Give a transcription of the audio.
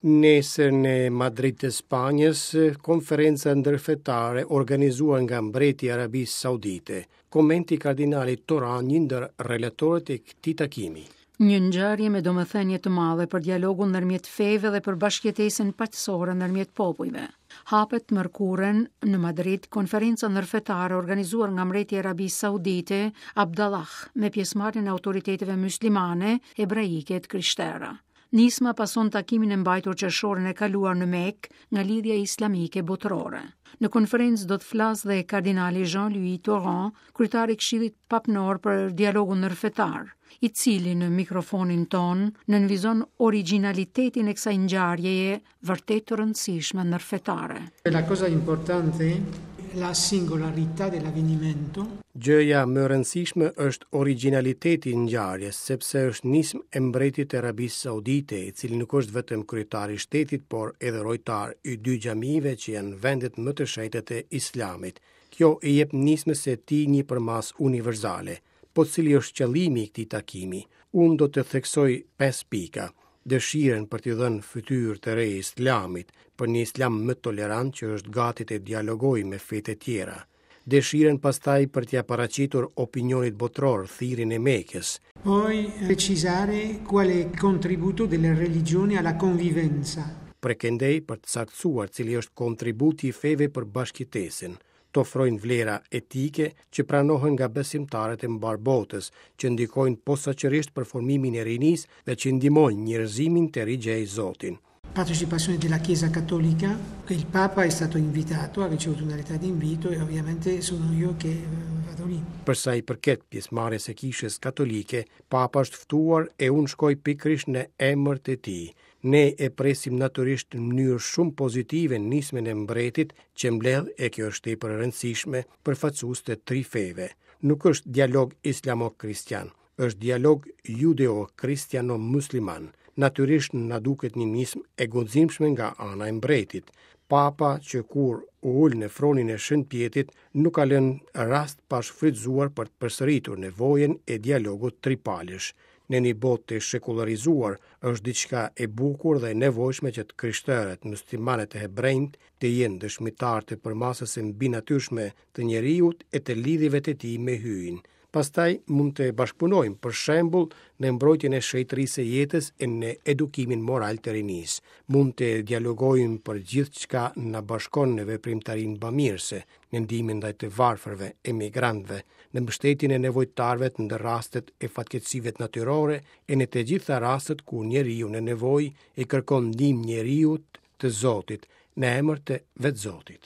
Nesër në Madrid të Spanjës, konferenca ndërfetare organizuar nga mbreti i Arabisë Saudite. Komenti i kardinalit Tauran, një ndër relatorët e këtij takimi. Një ngjarje me domethënie të madhe për dialogun ndërmjet feve dhe për bashkëjetesën paqësore ndërmjet popujve. Hapet të mërkurën në Madrid konferenca ndërfetare organizuar nga mbreti i Arabisë Saudite, Abdallah, me pjesëmarrjen e autoriteteve myslimane, hebraike e të krishtera. Nisma pason takimin e mbajtur qershorin e kaluar në Mekë nga Lidhja Islamike Botërore. Në konferencë do të flasë dhe kardinali Jean-Louis Tauran, kryetar i Këshillit Papnor për Dialogun Ndërfetar, i cili në mikrofonin tonë nënvizon origjinalitetin e kësaj ngjarjeje vërtet të rëndësishme ndërfetare. La cosa importante la singolarità dell'avvenimento. Gjëja më e rëndësishme është origjinaliteti i ngjarjes, sepse është nismë e mbretit të Arabisë Saudite, i cili nuk është vetëm kryetar i shtetit, por edhe rojtar i dy xhamive që janë vendet më të shenjta të Islamit. Kjo i jep nismës së tij një përmasë universale. Po cili është qëllimi i këtij takimi? Unë do të theksoj pesë pika. Dëshirën për t'i dhënë fytyrë të re Islamit, për një Islam më tolerant që është gati të dialogojë me fetë e tjera. Dëshirën pastaj për t'ia paraqitur opinionit botëror thirrjen e Mekës. Poi precisare qual è il contributo delle religioni alla convivenza. Prej këndej për të saktësuar cili është kontributi i feve për bashkëjetesën. të ofrojnë vlera etike që pranohen nga besimtarët e mbarë botës, që ndikojnë posaçërisht për formimin e rinisë dhe që ndihmojnë njerëzimin të rigjejë Zotin. Partecipazione della Chiesa Cattolica, il Papa è stato invitato, ha ricevuto una lettera di invito e ovviamente sono io che vado lì. Për sa i përket pjesëmarrjes së Kishës Katolike, Papa është ftuar e unë shkoj pikërisht në emër të tij. Ne e presim natyrisht në mënyrë shumë pozitive nismën e mbretit që mbledh, e kjo është tepër e rëndësishme, përfaqësues të tri feve. Nuk është dialog islamo-kristian, është dialog judeo-kristiano-musliman. Natyrisht na duket një nismë e guximshme nga ana e mbretit. Papa që kur u ul në fronin e Shën Pjetrit nuk ka lënë rast pa shfrytëzuar për të përsëritur nevojën e dialogut tripalësh. Në një botë të shekullarizuar, është diçka e bukur dhe e nevojshme që të krishterët, muslimanët e hebrenjtë të jenë dëshmitarë të përmasës së mbinatyrshme të njeriut e të lidhjeve të tij me Hyjin. Pastaj mund të bashkëpunojmë, për shembull, në mbrojtjen e shenjtërisë së jetës e në edukimin moral të rinisë. Mund të dialogojmë për gjithçka na bashkon në veprimtarinë bamirëse, në ndihmën ndaj të varfërve, emigrantëve, në mbështetjen e nevojtarëve në rastet e fatkeqësive natyrore e në të gjitha rastet kur njeriu në nevojë i kërkon ndihmë njeriut të Zotit, në emër të vetë Zotit.